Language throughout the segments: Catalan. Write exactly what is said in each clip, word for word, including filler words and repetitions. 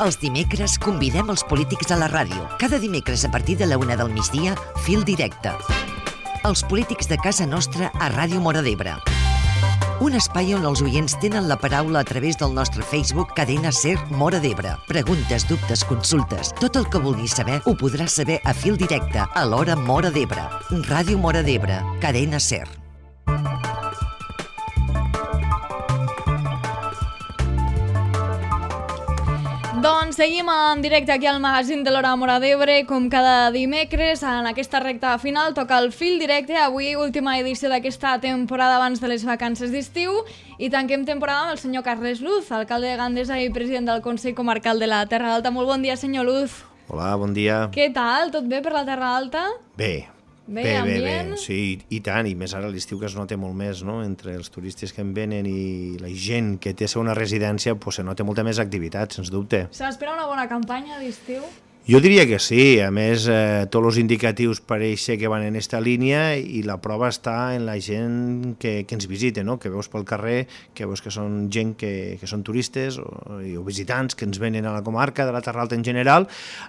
Els dimecres convidem els polítics a la ràdio. Cada dimecres a partir de la una del migdia, Fil Directe. Els polítics de casa nostra a Ràdio Móra d'Ebre. Un espai on els oients tenen la paraula a través del nostre Facebook Cadena Ser Móra d'Ebre. Preguntes, dubtes, consultes, tot el que vulguis saber ho podràs saber a Fil Directe a l'hora Móra d'Ebre. Ràdio Móra d'Ebre, Cadena Ser. Doncs seguim en directe aquí al magazín de l'Hora Móra d'Ebre, com cada dimecres. En aquesta recta final toca el Fil Directe. Avui, última edició d'aquesta temporada abans de les vacances d'estiu. I tanquem temporada amb el senyor Carles Luz, alcalde de Gandesa i president del Consell Comarcal de la Terra Alta. Molt bon dia, senyor Luz. Hola, bon dia. Què tal? Tot bé per la Terra Alta? Bé. Bé, bé, bé, ambient? bé, sí, i tant, i més ara a l'estiu que es nota molt més, no?, entre els turistes que en venen i la gent que té una residència, pues, se nota molta més activitat, sens dubte. S'espera una bona campanya d'estiu? Jo diria que sí, a més, eh, tots els indicatius pareix ser que van en aquesta línia i la prova està en la gent que, que ens visita, no?, que veus pel carrer, que veus que són gent que, que són turistes o, o visitants que ens venen a la comarca de la Terra Alta en general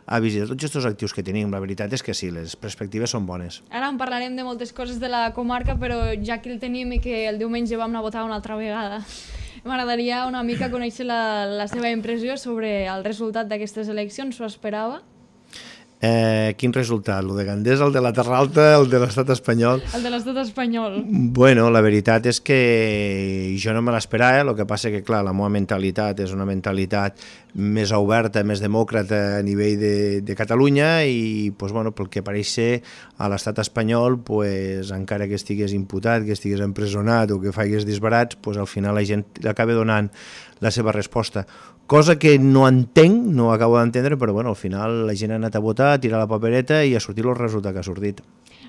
a visitar tots aquests actius que tenim. La veritat és que sí, les perspectives són bones. Ara en parlarem de moltes coses de la comarca, però ja que el tenim i que el diumenge vam anar a votar una altra vegada, m'agradaria una mica conèixer la, la seva impressió sobre el resultat d'aquestes eleccions. S'ho esperava? Eh, quin resultat? El de Gandesa, el de la Terra Alta, el de l'estat espanyol? El de l'estat espanyol. Bueno, la veritat és que jo no me l'esperava, el que passa que, clar, la meva mentalitat és una mentalitat més oberta, més demòcrata a nivell de, de Catalunya i, pues, bueno, pel que pareix ser, a l'estat espanyol, pues, encara que estigués imputat, que estigués empresonat o que faigués disbarats, pues, al final la gent acaba donant la seva resposta. Cosa que no entenc, no acabo d'entendre, però bueno, al final la gent ha anat a votar, a tirar la papereta i ha sortit el resultat que ha sortit.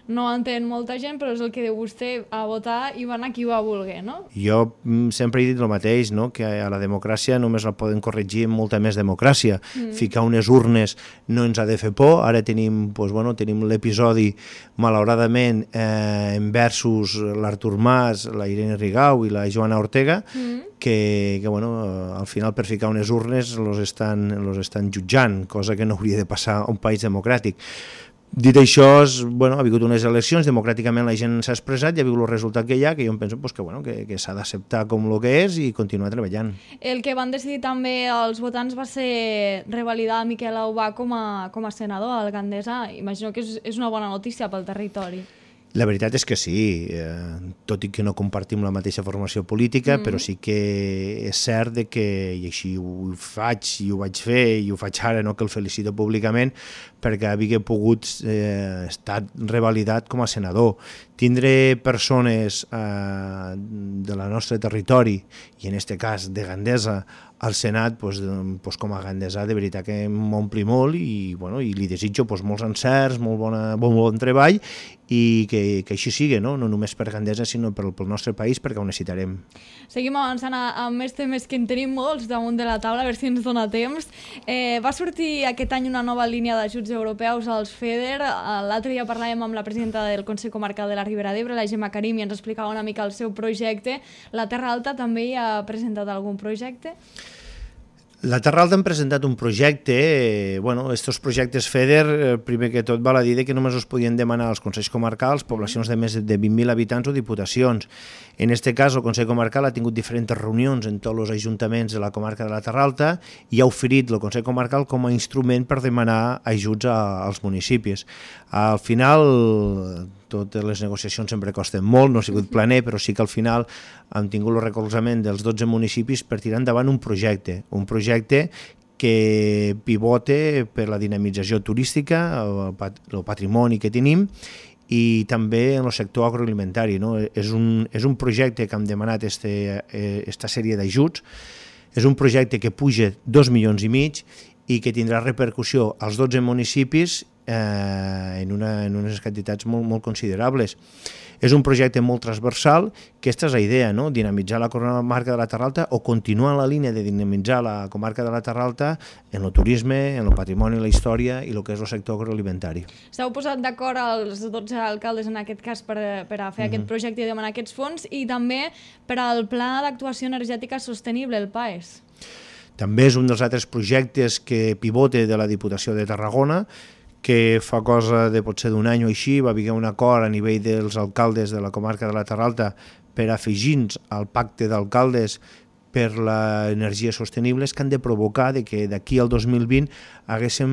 No entén molta gent, però és el que diu vostè, a votar i va anar qui va voler, no? Jo sempre he dit el mateix, no?, que a la democràcia només la poden corregir amb molta més democràcia. Mm. Ficar unes urnes no ens ha de fer por. Ara tenim, pues, bueno, tenim l'episodi, malauradament, eh, versus l'Artur Mas, la Irene Rigau i la Joana Ortega, mm. que, que bueno, al final per ficar unes urnes los estan, los estan jutjant, cosa que no hauria de passar a un país democràtic. Dit això, bueno, ha hagut unes eleccions, democràticament la gent s'ha expressat, ja ha vist el resultat que hi ha, que jo em penso pues, que, bueno, que, que s'ha d'acceptar com el que és i continuar treballant. El que van decidir també els votants va ser revalidar Miquel Aubà com a, com a senador al Gandesa. Imagino que és, és una bona notícia pel territori. La veritat és que sí, eh, tot i que no compartim la mateixa formació política, mm. però sí que és cert de que, i així ho faig, i ho vaig fer, i ho faig ara, no, que el felicito públicament, perquè havia pogut eh, estar revalidat com a senador. Tindre persones eh, de la nostre territori, i en aquest cas de Gandesa, al Senat, pues, pues, com a gandesà, de veritat que m'ompli molt i, bueno, i li desitjo pues, molts encerts, molt, bona, molt bon treball i que, que així sigui, no? No només per Gandesa, sinó pel, pel nostre país, perquè ho necessitarem. Seguim avançant amb més temes que en tenim molts damunt de la taula, a veure si ens dona temps. Eh, va sortir aquest any una nova línia d'ajuts europeus als FEDER. L'altre dia parlàvem amb la presidenta del Consell Comarcal de la Ribera d'Ebre, la Gemma Karim, i ens explicava una mica el seu projecte. La Terra Alta també hi ha presentat algun projecte? La Terra Alta hem presentat un projecte, eh, bueno, estos projectes FEDER, eh, primer que tot val a dir que només els podien demanar als consells comarcals, poblacions de més de vint mil habitants o diputacions. En aquest cas, el Consell Comarcal ha tingut diferents reunions en tots els ajuntaments de la comarca de la Terra Alta i ha oferit el Consell Comarcal com a instrument per demanar ajuts a, als municipis. Al final, totes les negociacions sempre costen molt, no ha sigut planer, però sí que al final hem tingut el recolzament dels dotze municipis per tirar endavant un projecte, un projecte que pivote per la dinamització turística, el patrimoni que tenim, i també en el sector agroalimentari. No? És, un, és un projecte que hem demanat este, esta sèrie d'ajuts, és un projecte que puja dos milions i mig i que tindrà repercussió als dotze municipis eh, en, una, en unes quantitats molt, molt considerables. És un projecte molt transversal, que aquesta és la idea, no? Dinamitzar la comarca de la Terra Alta o continuar la línia de dinamitzar la comarca de la Terra Alta en el turisme, en el patrimoni, la història i el que és el sector agroalimentari. S'heu posat d'acord els dotze alcaldes en aquest cas per, per a fer mm-hmm. aquest projecte i demanar aquests fons i també per al Pla d'Actuació Energètica Sostenible, el PAES. També és un dels altres projectes que pivote de la Diputació de Tarragona, que fa cosa de potser d'un any o així va haver un acord a nivell dels alcaldes de la comarca de la Terra Alta per afegir-nos al pacte d'alcaldes per l'energies sostenibles, que han de provocar de que d'aquí al dos mil vint haguéssim,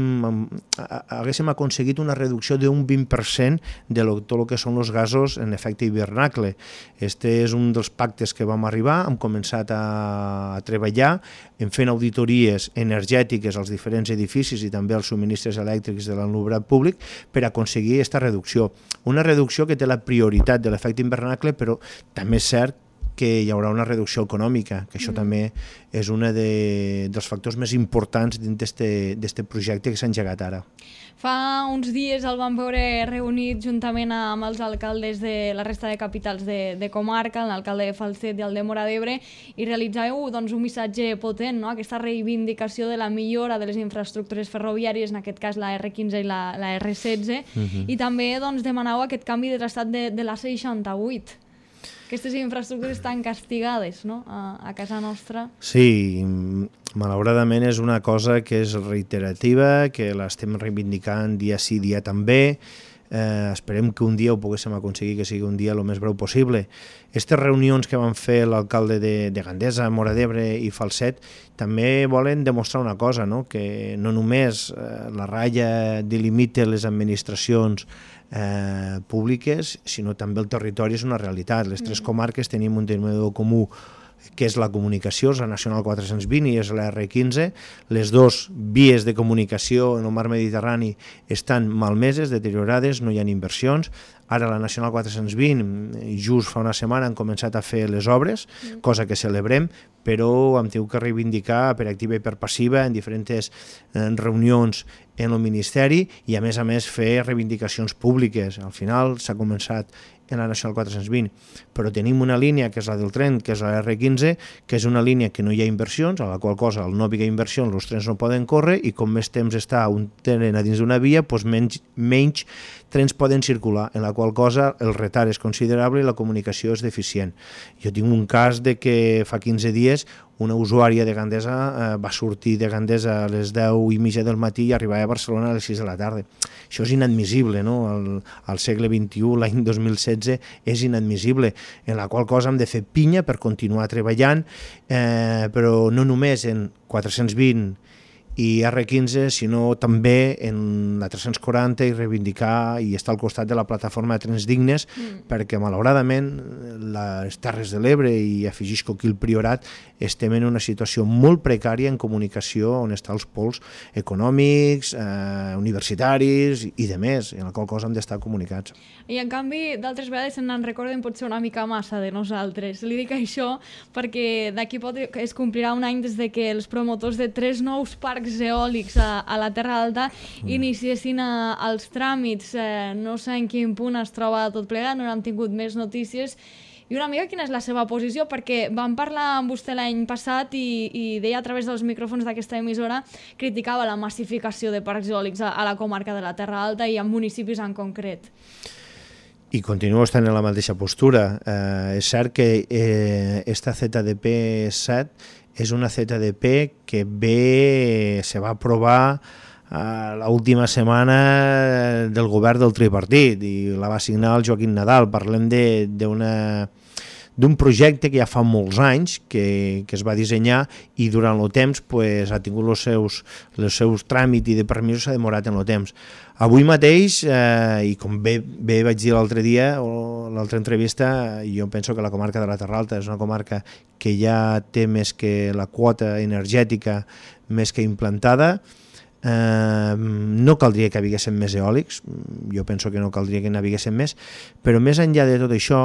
haguéssim aconseguit una reducció d'un vint per cent de lo, tot el que són els gasos en efecte hivernacle. Este és un dels pactes que vam arribar, hem començat a, a treballar, en fent auditories energètiques als diferents edificis i també als subministres elèctrics de l'alumnat públic per aconseguir aquesta reducció. Una reducció que té la prioritat de l'efecte hivernacle, però també és cert que hi haurà una reducció econòmica, que això mm. també és un de, dels factors més importants dins d'aquest projecte que s'ha engegat ara. Fa uns dies el vam veure reunit juntament amb els alcaldes de la resta de capitals de, de comarca, l'alcalde de Falset i el de Móra d'Ebre, i realitzàveu doncs, un missatge potent, no? Aquesta reivindicació de la millora de les infraestructures ferroviàries, en aquest cas la erre quinze i la, la erre setze, mm-hmm. i també doncs, demanàveu aquest canvi de traçat de, de la ce seixanta-vuit. Aquestes infraestructures estan castigades, no?, a, a casa nostra. Sí, malauradament és una cosa que és reiterativa, que l'estem reivindicant dia sí, dia també. Eh, esperem que un dia ho poguéssim aconseguir, que sigui un dia el més breu possible. Aquestes reunions que van fer l'alcalde de, de Gandesa, Móra d'Ebre i Falset també volen demostrar una cosa, no?, que no només eh, la ratlla delimita les administracions eh, públiques, sinó també el territori és una realitat. Les tres comarques tenim un denominador comú, que és la comunicació, és la Nacional quatre-cents vint i és la erre quinze. Les dues vies de comunicació en el mar Mediterrani estan malmeses, deteriorades, no hi ha inversions. Ara la Nacional quatre-cents vint, just fa una setmana, han començat a fer les obres, cosa que celebrem, però hem tingut que reivindicar per activa i per passiva en diferents reunions en el Ministeri i, a més a més, fer reivindicacions públiques. Al final s'ha començat en la Nacional quatre-cents vint, però tenim una línia que és la del tren, que és la erre quinze, que és una línia que no hi ha inversions, a la qual cosa al no haver inversions els trens no poden córrer i com més temps està un tren a dins d'una via, doncs menys, menys trens poden circular, en la qual cosa el retard és considerable i la comunicació és deficient. Jo tinc un cas de que fa quinze dies una usuària de Gandesa eh, va sortir de Gandesa a les deu i mitja del matí i arribava a Barcelona a les sis de la tarda. Això és inadmissible, no? Al, al segle vint-i-u, l'any dos mil setze, és inadmissible, en la qual cosa hem de fer pinya per continuar treballant, eh, però no només en quatre-cents vint i erre quinze, sinó també en la tres-cents quaranta i reivindicar i estar al costat de la plataforma de trens dignes, mm. perquè malauradament les Terres de l'Ebre i afegisco aquí el Priorat estem en una situació molt precària en comunicació on estan els pols econòmics, eh, universitaris i de més, en la qual cosa hem d'estar comunicats. I en canvi, d'altres vegades se'n recorden potser una mica massa de nosaltres. Li dic això perquè d'aquí pot es complirà un any des de que els promotors de tres nous parcs eòlics a, a la Terra Alta mm. iniciessin a, els tràmits. Eh, no sé en quin punt es troba tot plegat, no n'hem tingut més notícies. I una mica quina és la seva posició, perquè vam parlar amb vostè l'any passat i, i deia a través dels micròfons d'aquesta emissora, criticava la massificació de parcs eòlics a, a la comarca de la Terra Alta i en municipis en concret. I continuo estant en la mateixa postura. Eh, és cert que eh, esta zeta de pe set és una zeta de pe que ve, se va aprovar eh, l'última setmana del govern del tripartit i la va signar el Joaquim Nadal. Parlem d'una d'un projecte que ja fa molts anys que, que es va dissenyar i durant el temps pues, ha tingut els seus, els seus tràmits i de permisos s'ha demorat en el temps. Avui mateix, eh, i com bé, bé vaig dir l'altre dia o l'altra entrevista, jo penso que la comarca de la Terra Alta és una comarca que ja té més que la quota energètica més que implantada. Uh, no caldria que haviguessin més eòlics, jo penso que no caldria que n'haviguessin més, però més enllà de tot això,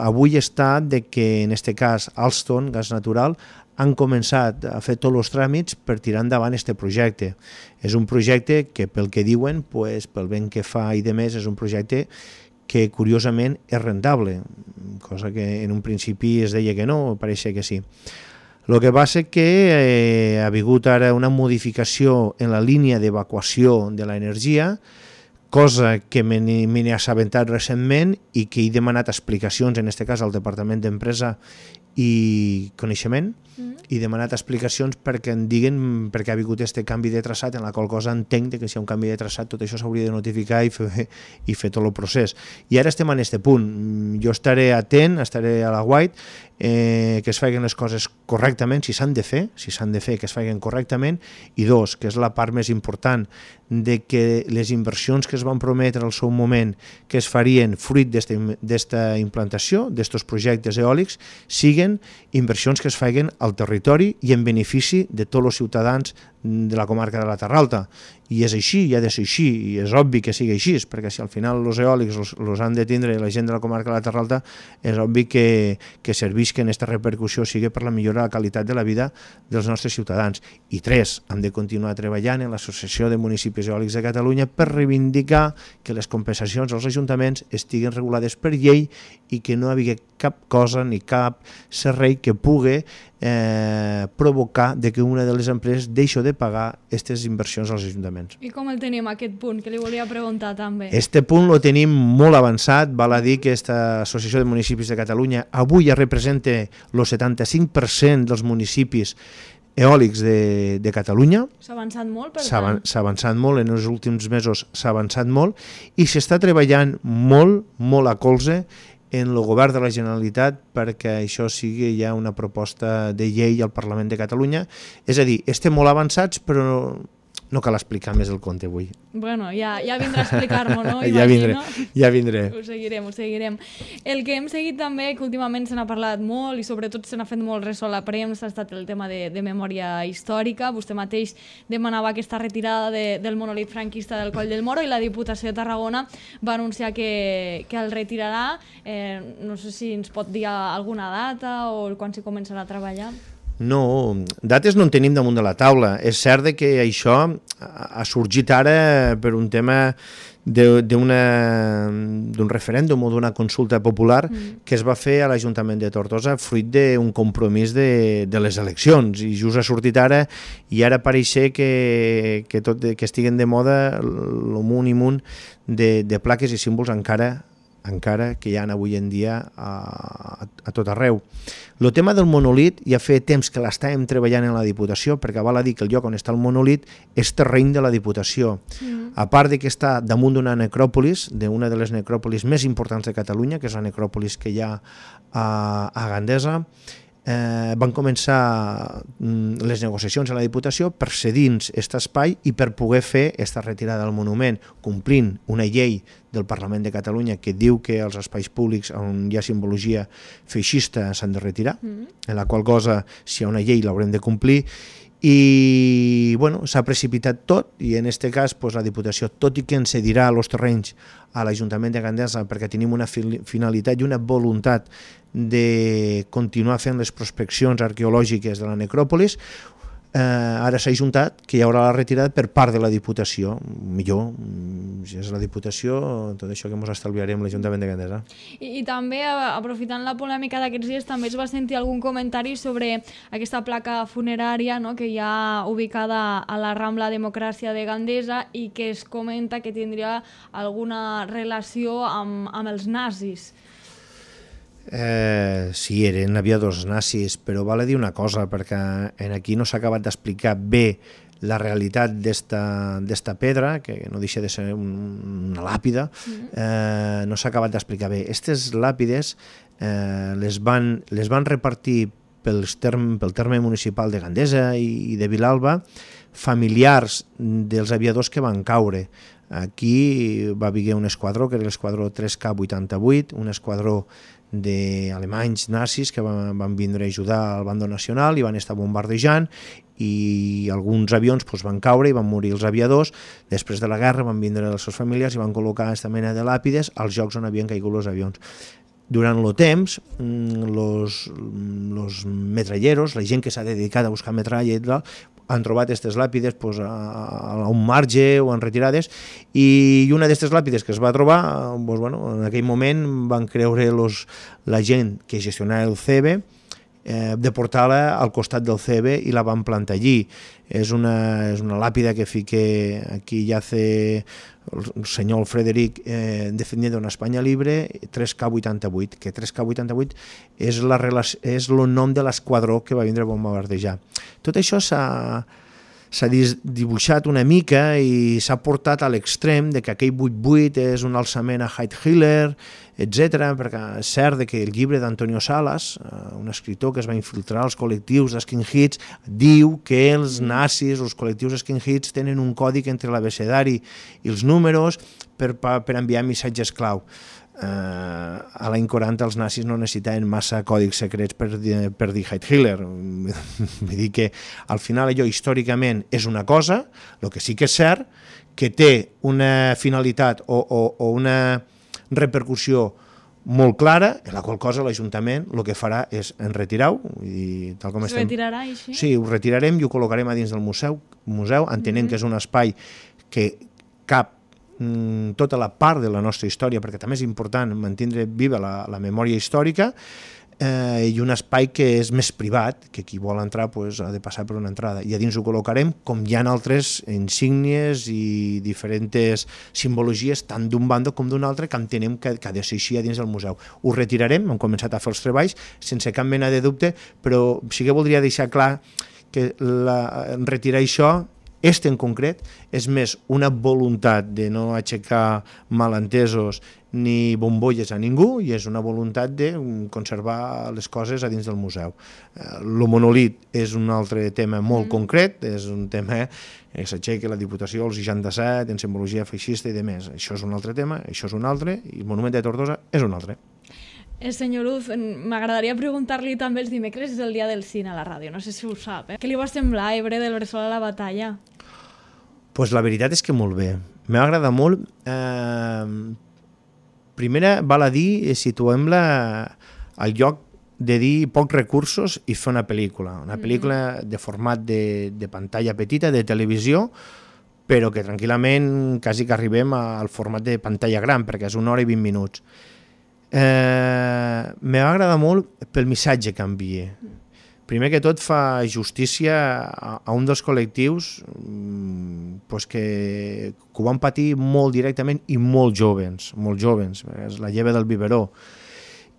avui està de que en aquest cas Alstom, gas natural, han començat a fer tots els tràmits per tirar endavant aquest projecte. És un projecte que pel que diuen, pues, pel vent que fa i de més, és un projecte que curiosament és rentable, cosa que en un principi es deia que no, pareixia que sí. El que passa és que eh, ha hagut ara una modificació en la línia d'evacuació de l'energia, cosa que me n'he assabentat recentment i que he demanat explicacions, en aquest cas al Departament d'Empresa i coneixement, i he demanat explicacions perquè em diguen per què ha vingut aquest canvi de traçat, en la qual cosa entenc que si hi ha un canvi de traçat tot això s'hauria de notificar i fer, i fer tot el procés. I ara estem en aquest punt. Jo estaré atent, estaré a la White, eh, que es facin les coses correctament, si s'han de fer, si s'han de fer, que es facin correctament, i dos, que és la part més important, de que les inversions que es van prometre al seu moment que es farien fruit d'esta implantació, d'estos projectes eòlics, siguen inversions que es facin al territori i en benefici de tots els ciutadans de la comarca de la Terra Alta. I és així, i ha de ser així, i és obvi que sigui així, perquè si al final els eòlics els han de tindre la gent de la comarca de la Terra Alta, és obvi que, que servisquen aquesta repercussió sigui per la millora de la qualitat de la vida dels nostres ciutadans. I tres, hem de continuar treballant en l'Associació de Municipis Eòlics de Catalunya per reivindicar que les compensacions als ajuntaments estiguin regulades per llei i que no hi hagi cap cosa ni cap servei que pugui eh, provocar de que una de les empreses deixi de pagar aquestes inversions als ajuntaments. I com el tenim, aquest punt, que li volia preguntar també? Este punt lo tenim molt avançat, val a dir que aquesta Associació de Municipis de Catalunya avui ja representa el setanta-cinc per cent dels municipis eòlics de, de Catalunya. S'ha avançat molt, per tant? S'ha avançat molt, en els últims mesos s'ha avançat molt i s'està treballant molt, molt a colze en el govern de la Generalitat perquè això sigui ja una proposta de llei al Parlament de Catalunya. És a dir, estem molt avançats, però no cal explicar més el conte avui. Bueno, ja, ja vindrà a explicar-m'ho, no? ja vindré, ja vindré. Ho seguirem, ho seguirem. El que hem seguit també, que últimament se n'ha parlat molt i sobretot se n'ha fet molt ressò a la premsa, ha estat el tema de, de memòria històrica. Vostè mateix demanava aquesta retirada de, del monolit franquista del Coll del Moro i la Diputació de Tarragona va anunciar que, que el retirarà. Eh, no sé si ens pot dir alguna data o quan s'hi començarà a treballar. No, dates no en tenim damunt de la taula. És cert que això ha sorgit ara per un tema d'un referèndum o d'una consulta popular mm. que es va fer a l'Ajuntament de Tortosa fruit d'un compromís de, de les eleccions i just ha sortit ara i ara pareix que, que, tot, que estiguen de moda el munt i munt de, de plaques i símbols encara encara que hi ha avui en dia a, a, a tot arreu. El tema del monolit ja fa temps que l'estàvem treballant en la Diputació, perquè val a dir que el lloc on està el monolit és terreny de la Diputació. Mm. A part de que està damunt d'una necròpolis, d'una de les necròpolis més importants de Catalunya, que és la necròpolis que hi ha a, a Gandesa, eh, van començar mm, les negociacions a la Diputació per cedir aquest espai i per poder fer aquesta retirada del monument, complint una llei del Parlament de Catalunya que diu que els espais públics on hi ha simbologia feixista s'han de retirar, mm-hmm. en la qual cosa, si hi ha una llei, l'haurem de complir. I bueno, s'ha precipitat tot i en aquest cas pues, la Diputació, tot i que ens cedirà els terrenys a l'Ajuntament de Gandesa perquè tenim una finalitat i una voluntat de continuar fent les prospeccions arqueològiques de la necròpolis, eh, ara s'ha ajuntat que hi haurà la retirada per part de la Diputació. Millor, si és la Diputació, tot això que ens estalviarem l'Ajuntament de Gandesa. I, I també, aprofitant la polèmica d'aquests dies, també es va sentir algun comentari sobre aquesta placa funerària, no?, que hi ha ubicada a la Rambla Democràcia de Gandesa i que es comenta que tindria alguna relació amb, amb els nazis. Eh, sí, eren aviadors nazis, però val a dir una cosa, perquè en aquí no s'ha acabat d'explicar bé la realitat d'esta pedra, que no deixa de ser una làpida, eh, no s'ha acabat d'explicar bé. Aquestes làpides eh, les, van, les van repartir pels term, pel terme municipal de Gandesa i, i de Vilalba, familiars dels aviadors que van caure. Aquí va haver un esquadró, que era l'esquadró tres K vuitanta-vuit, un esquadró d'alemanys nazis que van, van vindre a ajudar al bando nacional i van estar bombardejant i alguns avions pues, van caure i van morir els aviadors. Després de la guerra van vindre els seus familiars i van col·locar aquesta mena de làpides als llocs on havien caigut els avions. Durant el temps, els metralleros, la gent que s'ha dedicat a buscar metralla i tal, han trobat aquestes làpides pues, a, a un marge o en retirades i una d'aquestes làpides que es va trobar, pues, bueno, en aquell moment van creure los, la gent que gestionava el C E B eh, de portar-la al costat del C B i la van plantar allí. És una, és una làpida que fique aquí ja hace el senyor Frederic eh, defendiendo una Espanya libre, tres K vuitanta-vuit, que tres K vuitanta-vuit és, la, és el nom de l'esquadró que va vindre a bombardejar. Tot això s'ha s'ha dibuixat una mica i s'ha portat a l'extrem de que aquell vuit vuit és un alçament a Heydrich, etcètera, perquè és cert que el llibre d'Antonio Salas, un escriptor que es va infiltrar als col·lectius d'skinheads, diu que els nazis, els col·lectius d'skinheads, tenen un còdic entre l'abecedari i els números per, per enviar missatges clau. Uh, a l'any quaranta els nazis no necessitaven massa còdics secrets per, per dir Heil Hitler. Vull dir que al final allò històricament és una cosa, el que sí que és cert que té una finalitat o, o, o una repercussió molt clara, en la qual cosa l'Ajuntament el que farà és enretirar-ho. Es estem... retirarà així? Sí, ho retirarem i ho col·locarem a dins del museu, museu entenent mm-hmm. que és un espai que cap tota la part de la nostra història, perquè també és important mantenir viva la, la memòria històrica, eh, i un espai que és més privat, que qui vol entrar pues, ha de passar per una entrada. I a dins ho col·locarem, com hi ha altres insígnies i diferents simbologies, tant d'un bando com d'un altre, que entenem que, que ha de ser així a dins del museu. Ho retirarem, hem començat a fer els treballs, sense cap mena de dubte, però sí que voldria deixar clar que la, retirar això, este en concret, és més una voluntat de no aixecar malentesos ni bombolles a ningú i és una voluntat de conservar les coses a dins del museu. El monolit és un altre tema molt mm. concret, és un tema que s'aixeca la Diputació al seixanta-set, en simbologia feixista i demés. Això és un altre tema, això és un altre, i el Monument de Tortosa és un altre. Eh, senyor Luz, m'agradaria preguntar-li també els dimecres és el dia del cine a la ràdio, no sé si ho sap. Eh? Què li va semblar Ebre del Bressol a la batalla? Pues la veritat és que molt bé. M'ha agradat molt. Eh, primera, val a dir, situem-la al lloc de dir pocs recursos i fer una pel·lícula. Una pel·lícula de format de, de pantalla petita, de televisió, però que tranquil·lament quasi que arribem al format de pantalla gran, perquè és una hora i vint minuts. Eh, M'ha agradat molt pel missatge que envia. Primer que tot fa justícia a, a un dels col·lectius pues que, que ho van patir molt directament i molt joves, molt joves, és la lleva del biberó.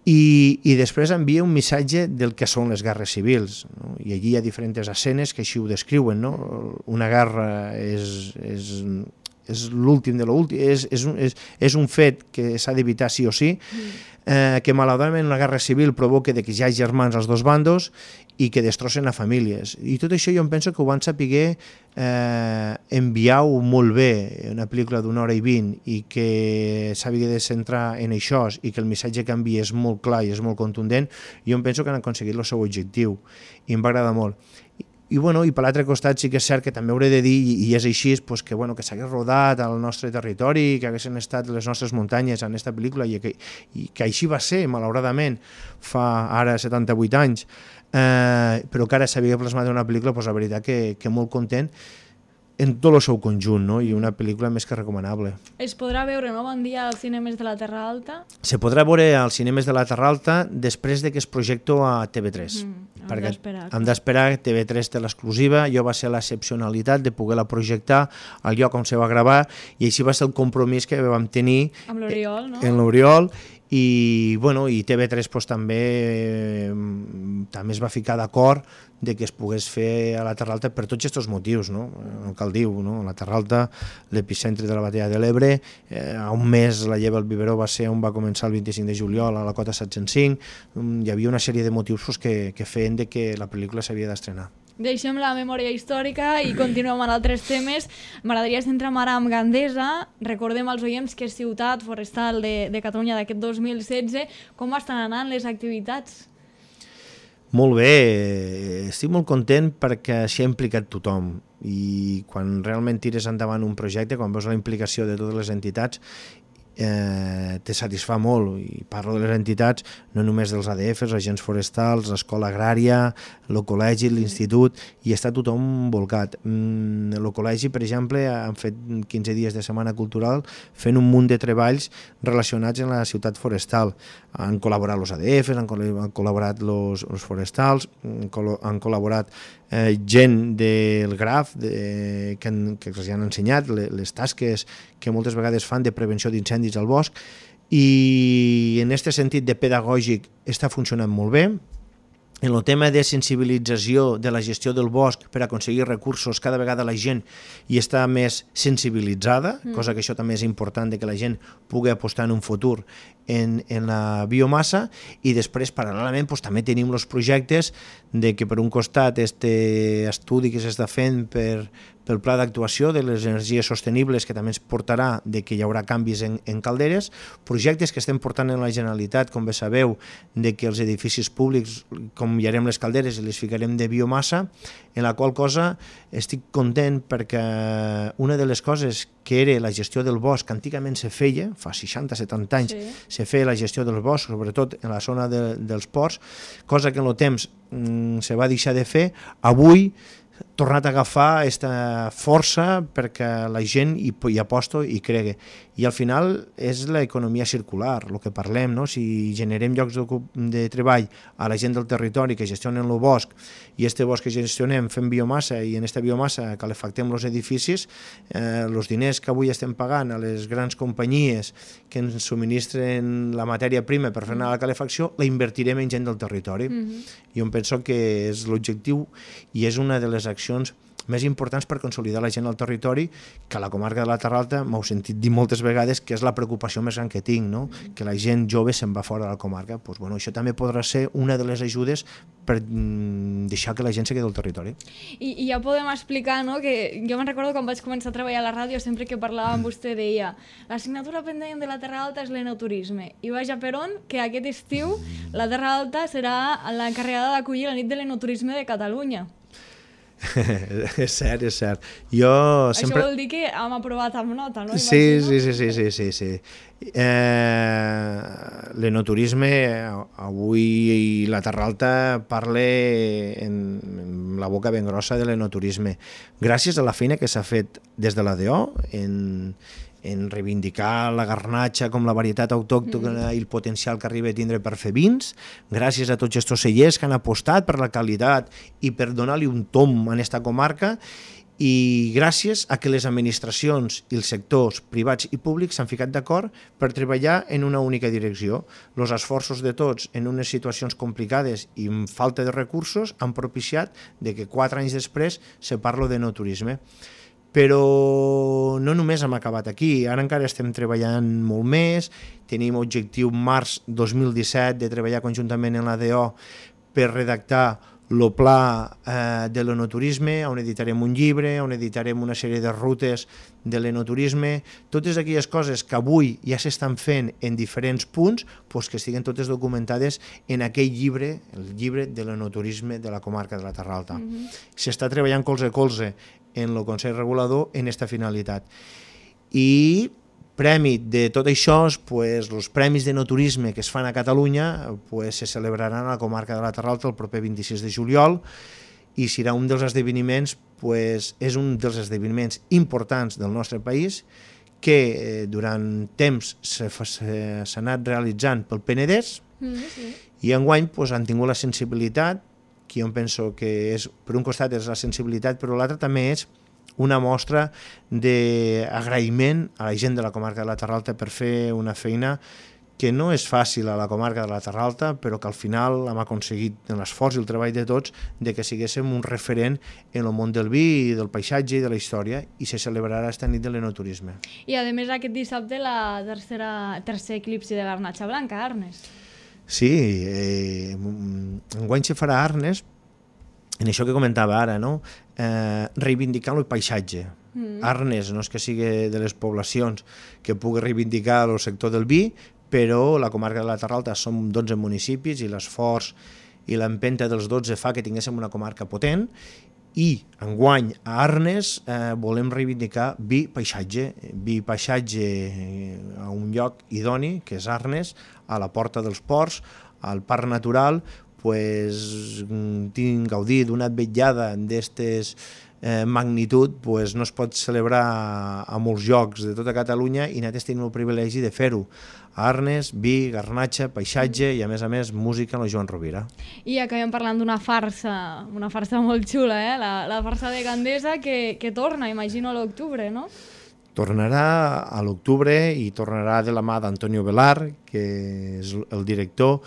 I, i després envia un missatge del que són les guerres civils, no? I allí hi ha diferents escenes que així ho descriuen, no? Una guerra és, és, és l'últim de l'últim, és, és, un, és, és un fet que s'ha d'evitar sí o sí, eh, que malauradament una guerra civil provoca que hi hagi germans als dos bandos i que destrossen a famílies. I tot això jo em penso que ho van saber eh, enviar-ho molt bé, una pel·lícula d'una hora i vint, i que s'havia de centrar en això i que el missatge que envia és molt clar i és molt contundent, jo em penso que han aconseguit el seu objectiu i em va agradar molt. I, i, bueno, i per l'altre costat sí que és cert que també hauré de dir, i, i és així, pues, que, bueno, que s'hagués rodat al nostre territori, que haguessin estat les nostres muntanyes en aquesta pel·lícula i que, i que així va ser, malauradament, fa ara setanta-vuit anys, eh, però que ara s'havia plasmat en una pel·lícula, pues, la veritat que, que molt content en tot el seu conjunt, no? I una pel·lícula més que recomanable. Es podrà veure, no, bon dia, als cinemes de la Terra Alta? Se podrà veure als cinemes de la Terra Alta després de que es projecto a T V tres. Mm, hem d'esperar. Hem d'esperar, T V tres té l'exclusiva, jo va ser l'excepcionalitat de poder-la projectar al lloc on se va gravar, i així va ser el compromís que vam tenir amb l'Oriol, no? En l'Oriol, i, bueno, i T V tres pues, també, eh, també es va ficar d'acord de que es pogués fer a la Terra Alta per tots aquests motius, no? El que el diu, no? La Terra Alta, l'epicentre de la batalla de l'Ebre, eh, a un mes la lleva al biberó va ser on va començar el vint-i-cinc de juliol a la cota set-cents cinc, hi havia una sèrie de motius pues, que, que feien de que la pel·lícula s'havia d'estrenar. Deixem la memòria històrica i continuem amb altres temes. M'agradaria centrar ara en Gandesa. Recordem als oients que és ciutat forestal de, de Catalunya d'aquest dos mil setze. Com estan anant les activitats? Molt bé, estic molt content perquè s'hi ha implicat tothom, i quan realment tires endavant un projecte, quan veus la implicació de totes les entitats, eh, te satisfà molt, i parlo de les entitats, no només dels A D Fs, els agents forestals, l'escola agrària, el col·legi, l'institut, i està tothom volcat. Mm, el col·legi, per exemple, han fet quinze dies de setmana cultural fent un munt de treballs relacionats amb la ciutat forestal. Han col·laborat els A D Fs, han, col han col·laborat els forestals, han, col han col·laborat eh, gent del Graf de, que, han, que els han ensenyat les, les tasques que moltes vegades fan de prevenció d'incendis al bosc, i en aquest sentit de pedagògic està funcionant molt bé. En el tema de sensibilització de la gestió del bosc per aconseguir recursos, cada vegada la gent hi està més sensibilitzada, mm. cosa que això també és important, de que la gent pugui apostar en un futur en, en la biomassa, i després, paral·lelament, doncs, també tenim els projectes de que, per un costat, este estudi que s'està fent per, pel pla d'actuació de les energies sostenibles, que també ens portarà de que hi haurà canvis en, en calderes, projectes que estem portant en la Generalitat, com bé sabeu, de que els edificis públics canviarem les calderes i les ficarem de biomassa, en la qual cosa estic content perquè una de les coses que era la gestió del bosc, que antigament se feia, fa seixanta setanta anys, sí. se feia la gestió del bosc, sobretot en la zona de, dels ports, cosa que en el temps mm, se va deixar de fer, avui tornat a agafar aquesta força perquè la gent hi, hi aposta i cregui. I al final és l'economia circular, el que parlem, no? Si generem llocs de, de treball a la gent del territori que gestionen el bosc, i este bosc que gestionem fem biomassa, i en aquesta biomassa calefactem els edificis, eh, els diners que avui estem pagant a les grans companyies que ens subministren la matèria prima per fer anar la calefacció, la invertirem en gent del territori. Mm-hmm. Jo em penso que és l'objectiu i és una de les accions més importants per consolidar la gent al territori, que a la comarca de la Terra Alta m'heu sentit dir moltes vegades que és la preocupació més gran que tinc, no? Que la gent jove se'n va fora de la comarca. Pues, bueno, això també podrà ser una de les ajudes per mm, deixar que la gent se quedi al territori. I, i ja podem explicar, no?, que jo me'n recordo quan vaig començar a treballar a la ràdio, sempre que parlava amb vostè deia l'assignatura pendent de la Terra Alta és l'enoturisme, i vaja per on que aquest estiu la Terra Alta serà l'encarregada d'acollir la nit de l'enoturisme de Catalunya. És cert, és cert. Jo sempre... Això vol dir que hem aprovat amb nota, no? Sí, sí, sí, sí, sí, sí, sí. Eh, l'enoturisme, avui la Terra Alta parla en, en la boca ben grossa de l'enoturisme. Gràcies a la feina que s'ha fet des de l'A D O en, en reivindicar la garnatxa com la varietat autòctona mm. i el potencial que arriba a tindre per fer vins, gràcies a tots aquests cellers que han apostat per la qualitat i per donar-li un tom a aquesta comarca, i gràcies a que les administracions i els sectors privats i públics s'han ficat d'acord per treballar en una única direcció. Els esforços de tots en unes situacions complicades i amb falta de recursos han propiciat de que quatre anys després se parla d'enoturisme. Però no només hem acabat aquí, ara encara estem treballant molt més, tenim objectiu març dos mil disset de treballar conjuntament amb l'A D O per redactar el pla eh, de l'enoturisme, on editarem un llibre, on editarem una sèrie de rutes de l'enoturisme, totes aquelles coses que avui ja s'estan fent en diferents punts, doncs que estiguen totes documentades en aquell llibre, el llibre de l'enoturisme de la comarca de la Terra Alta. Mm-hmm. S'està treballant colze a colze en el Consell Regulador en aquesta finalitat. I premi de tot això, pues, els premis d'enoturisme que es fan a Catalunya pues, se celebraran a la comarca de la Terra Alta el proper vint-i-sis de juliol, i serà un dels esdeveniments, pues, és un dels esdeveniments importants del nostre país, que eh, durant temps s'ha anat realitzant pel Penedès, mm, sí. i enguany pues, han tingut la sensibilitat, que jo penso que és, per un costat és la sensibilitat, però l'altre també és una mostra d'agraïment a la gent de la comarca de la Terra Alta per fer una feina que no és fàcil a la comarca de la Terra Alta, però que al final hem aconseguit en l'esforç i el treball de tots de que siguéssim un referent en el món del vi, del paisatge i de la història, i se celebrarà aquesta nit de l'enoturisme. I a més aquest dissabte la tercera, tercer eclipsi de garnatxa blanca a Arnes. Sí, eh, enguany se farà a Arnes, en això que comentava ara, no? eh, reivindicant el paisatge. Mm. Arnes no és que sigui de les poblacions que pugui reivindicar el sector del vi, però la comarca de la Terra Alta som dotze municipis i l'esforç i l'empenta dels dotze fa que tinguéssim una comarca potent, I enguany a Arnes eh, volem reivindicar vi paisatge, vi paisatge a un lloc idoni, que és Arnes, a la porta dels ports, al parc natural, pues, tinc gaudit d'una vetllada d'estes eh, magnitud, pues, no es pot celebrar a molts llocs de tota Catalunya i nosaltres tenim el privilegi de fer-ho. A Arnes, vi, garnatxa, paisatge i, a més a més, música amb el Joan Rovira. I acabem parlant d'una farsa, una farsa molt xula, eh? la, la farsa de Gandesa que, que torna, imagino, a l'octubre, no? Tornarà a l'octubre i tornarà de la mà d'Antonio Velar, que és el director.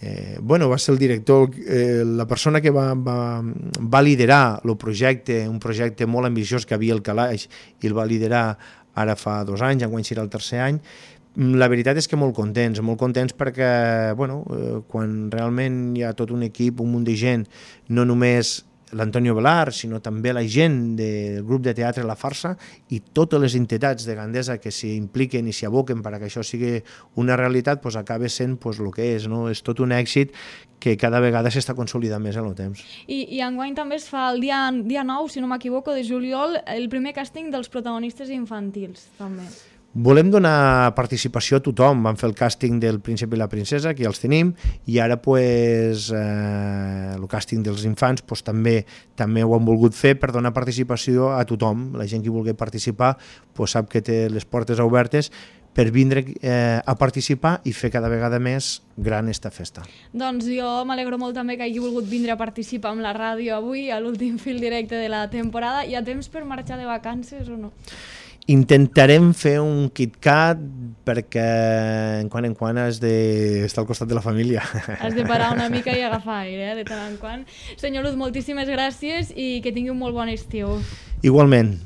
Eh, bueno, va ser el director, eh, la persona que va, va, va liderar el projecte, un projecte molt ambiciós que havia al Calaix, i el va liderar ara fa dos anys, enguany serà el tercer any. La veritat és que molt contents, molt contents perquè, bueno, eh, quan realment hi ha tot un equip, un munt de gent, no només l'Antonio Velar, sinó també la gent del grup de teatre La Farsa i totes les entitats de Gandesa que s'hi impliquen i s'hi aboquen perquè això sigui una realitat, doncs acaba sent pues, el que és, no? És tot un èxit que cada vegada s'està consolidant més en el temps. I, i enguany també es fa el dia, dia nou, si no m'equivoco, de juliol, el primer càsting dels protagonistes infantils, també. Volem donar participació a tothom. Vam fer el càsting del príncep i la princesa, que ja els tenim, i ara pues, eh, el càsting dels infants pues, també també ho han volgut fer per donar participació a tothom. La gent que vulgui participar pues, sap que té les portes obertes per vindre eh, a participar i fer cada vegada més gran esta festa. Doncs jo m'alegro molt també que hagi volgut vindre a participar amb la ràdio avui, a l'últim fil directe de la temporada. Hi ha temps per marxar de vacances o no? Intentarem fer un KitKat perquè en quan en quan has d'estar al costat de la família. Has de parar una mica i agafar aire, eh, de tant en quant. Senyor Luz, moltíssimes gràcies i que tingui un molt bon estiu. Igualment.